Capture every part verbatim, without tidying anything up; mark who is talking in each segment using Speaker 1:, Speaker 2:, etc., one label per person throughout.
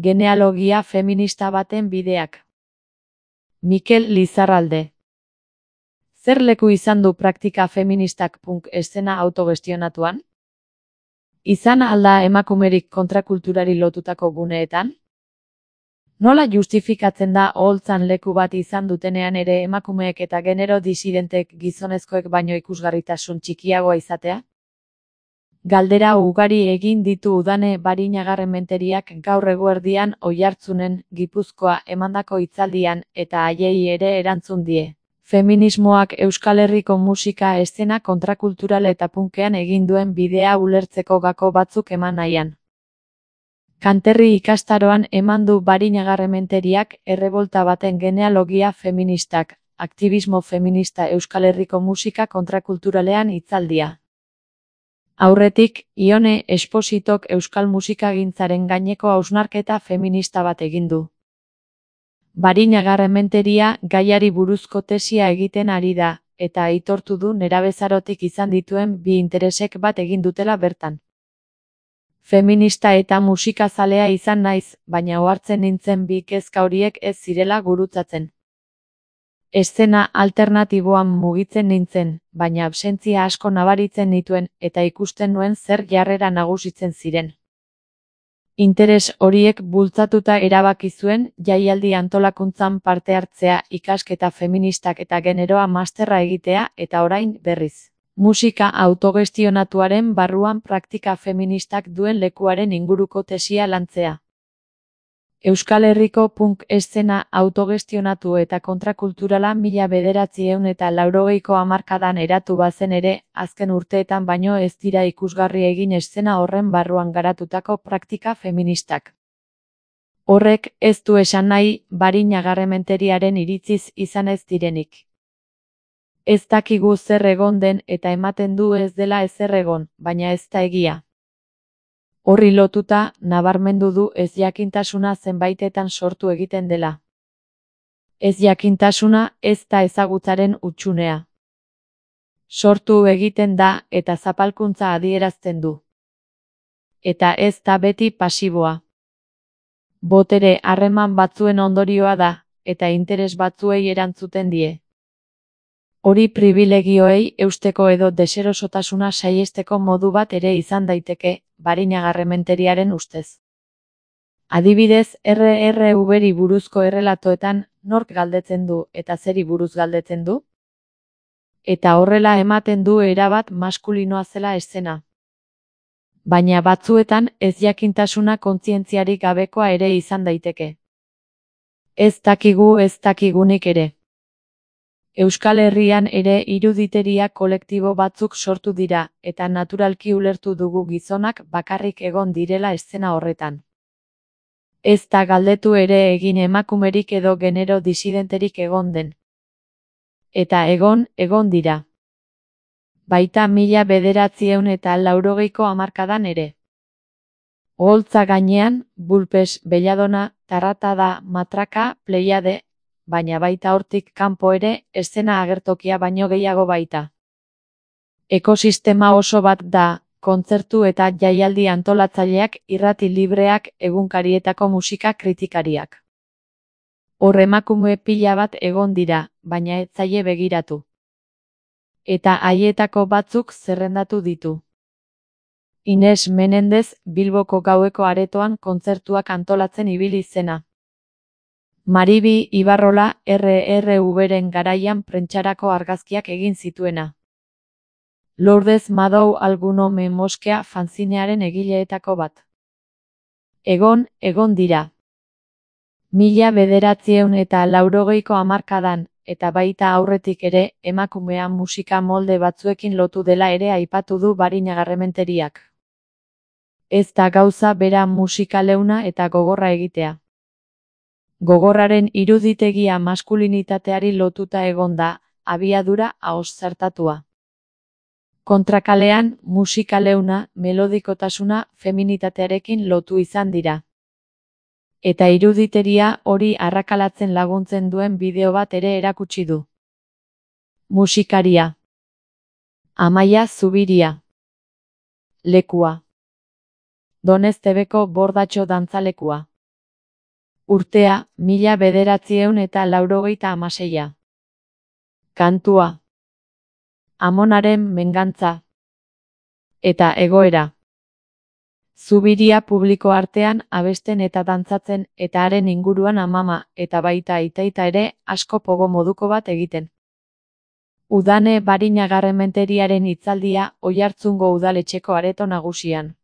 Speaker 1: Genealogia feminista baten bideak. Mikel Lizarralde. Zer leku izan du praktika feministak punk eszena autogestionatuan? Izan alda emakumerik kontrakulturari lotutako guneetan? Nola justifikatzen da oholtzan leku bat izan dutenean ere emakumeek eta genero disidentek gizonezkoek baino ikusgarritasun txikiagoa izatea? Galdera ugari egin ditu Udane Barinagarrementeriak gaur eguerdian Oiartzunen, Gipuzkoa emandako hitzaldian eta haiei ere erantzun die. Feminismoak Euskal Herriko musika eszena kontrakultural eta punkean egin duen bidea ulertzeko gako batzuk eman nahian. Kanterri ikastaroan eman du Barinagarrementeriak errebolta baten genealogia feministak, aktibismo feminista Euskal Herriko musika kontrakulturalean hitzaldia. Aurretik, Ione Espositok euskal musikagintzaren gaineko hausnarketa feminista bat egin du. Barinagarrementeria gaiari buruzko tesia egiten ari da, eta aitortu du nerabezarotik izan dituen bi interesek bat egin dutela bertan. Feminista eta musikazalea izan naiz, baina ohartzen nintzen bi kezka horiek ez zirela gurutzatzen. Eszena alternatiboan mugitzen nintzen, baina absentzia asko nabaritzen nituen eta ikusten nuen zer jarrera nagusitzen ziren. Interes horiek bultzatuta erabaki zuen jaialdi antolakuntzan parte hartzea, ikasketa feministak eta generoa masterra egitea eta orain berriz. Musika autogestionatuaren barruan praktika feministak duen lekuaren inguruko tesia lantzea. Euskal Herriko punk eszena autogestionatu eta kontrakulturala mila bederatziehun eta laurogeiko hamarkadan eratu bazen ere, azken urteetan baino ez dira ikusgarri egin eszena horren barruan garatutako praktika feministak. Horrek ez du esan nahi Barinagarrementeriaren iritziz izan ez direnik. Ez dakigu zer egon den eta ematen du ez dela ezer egon, baina ez da egia. Horri lotuta, nabarmendu du ezjakintasuna zenbaitetan sortu egiten dela. Ezjakintasuna ez da ezagutzaren hutsunea. Sortu egiten da eta zapalkuntza adierazten du. Eta ez da beti pasiboa. Botere harreman batzuen ondorioa da, eta interes batzuei erantzuten die. Hori pribilegioei eusteko edo deserosotasuna saihesteko modu bat ere izan daiteke, Barinagarrementeriaren ustez. Adibidez, erre erre uberi buruzko errelatoetan nork galdetzen du eta zeri buruz galdetzen du? Eta horrela ematen du erabat maskulinoa zela eszena. Baina batzuetan ezjakintasuna kontzientziarik gabekoa ere izan daiteke. Ez dakigu ez dakigunik ere. Euskal Herrian ere iruditeria kolektibo batzuk sortu dira, eta naturalki ulertu dugu gizonak bakarrik egon direla eszena horretan. Ez da galdetu ere egin emakumerik edo genero disidenterik egon den. Eta egon, egon dira. Baita mila bederatziehun eta laurogeiko hamarkadan ere. Oholtza gainean, Bulpes, Belladona, Tarratada, Matraka, Pleiade, baina baita hortik kanpo ere, eszena agertokia baino gehiago baita. Ekosistema oso bat da, kontzertu eta jaialdi antolatzaileak, irrati libreak, egunkarietako musika kritikariak. Hor emakume pila bat egon dira, baina ez zaie begiratu. Eta haietako batzuk zerrendatu ditu. Ines Menendez, Bilboko gaueko aretoan kontzertuak antolatzen ibili zena. Maribi Ibarrola erre erre uberen garaian prentxarako argazkiak egin zituena. Lourdes Madou Alguno Me Moskea fanzinearen egileetako bat. Egon, egon dira. Mila bederatziehun eta laurogeiko hamarkadan, eta baita aurretik ere, emakumea musika molde batzuekin lotu dela ere aipatu du Barinagarrementeriak. Ez da gauza bera musika leuna eta gogorra egitea. Gogorraren iruditegia maskulinitateari lotuta egon da, abiadura ahoz zartatua. Kontrakalean, musika leuna, melodikotasuna, feminitatearekin lotu izan dira. Eta iruditeria hori arrakalatzen laguntzen duen bideo bat ere erakutsi du. Musikaria. Amaia Zubiria. Lekua. Doneztebeko Bordatxo dantzalekua. Urtea, mila bederatziehun eta laurogeita hamaseia. Kantua. Amonaren mengantza. Eta egoera. Zubiria publiko artean abesten eta dantzatzen eta haren inguruan amama eta baita aitaita ere asko pogo moduko bat egiten. Udane Barinagarrementeriaren hitzaldia Oiartzungo udaletxeko areto nagusian.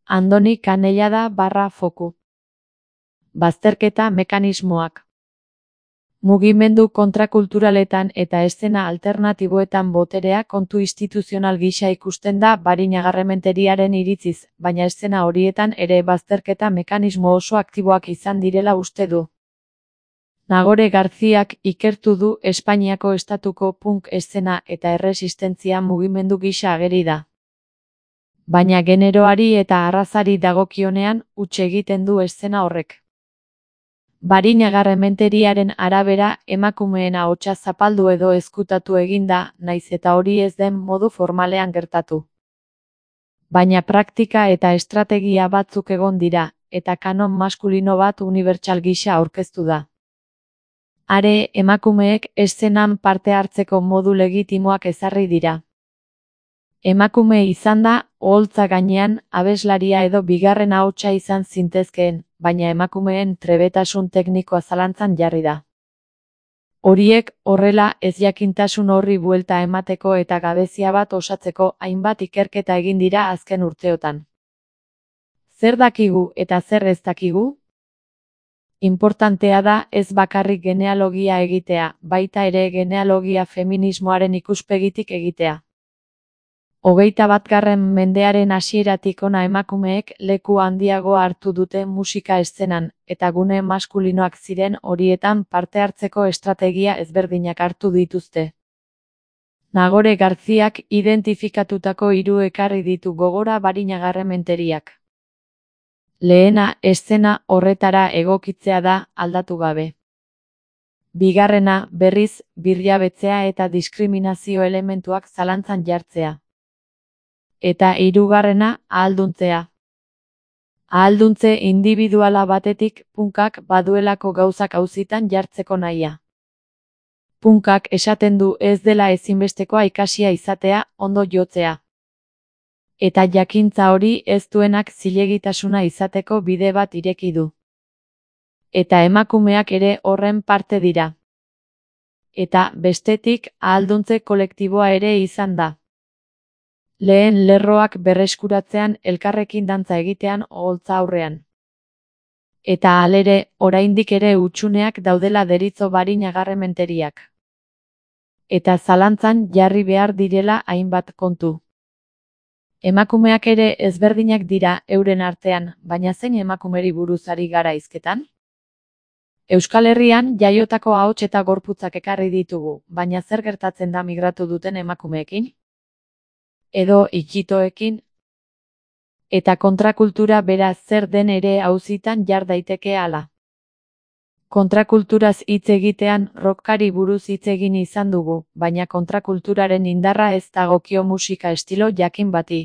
Speaker 1: Andoni Kanellada barra foku. Bazterketa mekanismoak. Mugimendu kontrakulturaletan eta eszena alternatiboetan boterea kontu instituzional gisa ikusten da Barinagarrementeriaren iritziz, baina eszena horietan ere bazterketa mekanismo oso aktiboak izan direla uste du. Nagore Garziak ikertu du Espainiako estatuko punk eszena eta erresistentzia mugimendu gisa ageri da. Baina generoari eta arrazari dagokionean huts egiten du eszena horrek. Barinagarrementeriaren arabera emakumeen ahotsa zapaldu edo ezkutatu eginda, naiz eta hori ez den modu formalean gertatu. Baina praktika eta estrategia batzuk egon dira, eta kanon maskulino bat unibertsal gisa aurkeztu da. Are, emakumeek eszenan parte hartzeko modu legitimoak ezarri dira. Emakume izan da, oholtza gainean, abeslaria edo bigarren ahotsa izan zintezkeen, baina emakumeen trebetasun teknikoa zalantzan jarri da. Horiek, horrela, ezjakintasun horri buelta emateko eta gabezia bat osatzeko hainbat ikerketa egin dira azken urteotan. Zer dakigu eta zer ez dakigu? Inportantea da ez bakarrik genealogia egitea, baita ere genealogia feminismoaren ikuspegitik egitea. Hogeita batgarren mendearen hasieratik hona emakumeek leku handiago hartu dute musika eszenan, eta gune maskulinoak ziren horietan parte hartzeko estrategia ezberdinak hartu dituzte. Nagore Garziak identifikatutako hiru ekarri ditu gogora Barinagarrementeriak. Lehena, eszena horretara egokitzea da, aldatu gabe. Bigarrena, berriz, birjabetzea eta diskriminazio elementuak zalantzan jartzea. Eta hirugarrena, ahalduntzea. Ahalduntze indibiduala batetik punkak baduelako gauzak auzitan jartzeko nahia. Punkak esaten du ez dela ezinbestekoa ikasia izatea, ondo jotzea. Eta jakintza hori ez duenak zilegitasuna izateko bide bat ireki du. Eta emakumeak ere horren parte dira. Eta, bestetik, ahalduntze kolektiboa ere izan da. Lehen lerroak berreskuratzean elkarrekin dantza egitean oholtza aurrean. Eta halere, oraindik ere hutsuneak daudela deritzo Barinagarrementeriak. Eta zalantzan jarri behar direla hainbat kontu. Emakumeak ere ezberdinak dira euren artean, baina zein emakumeri buruz ari gara hizketan? Euskal Herrian jaiotako ahots eta gorputzak ekarri ditugu, baina zer gertatzen da migratu duten emakumeekin? Edo ikitoekin? Eta kontrakultura bera zer den ere auzitan jar daiteke hala. Kontrakulturaz hitz egitean rockari buruz hitz egin izan dugu, baina kontrakulturaren indarra ez dagokio musika estilo jakin bati.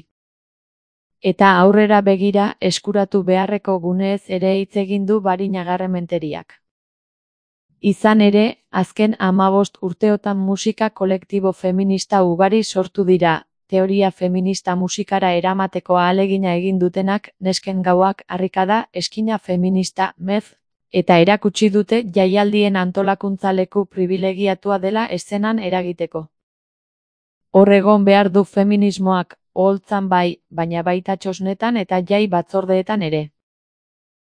Speaker 1: Eta aurrera begira eskuratu beharreko guneez ere hitz egin du Barinagarrementeriak. Izan ere, azken hamabost urteotan musika kolektibo feminista ugari sortu dira, teoria feminista musikara eramateko ahalegina egin dutenak, nesken gauak, harrikada, eskina feminista, mez, eta erakutsi dute jaialdien antolakuntza leku pribilegiatua dela eszenan eragiteko. Hor egon behar du feminismoak, oholtzan bai, baina baita txosnetan eta jai batzordeetan ere.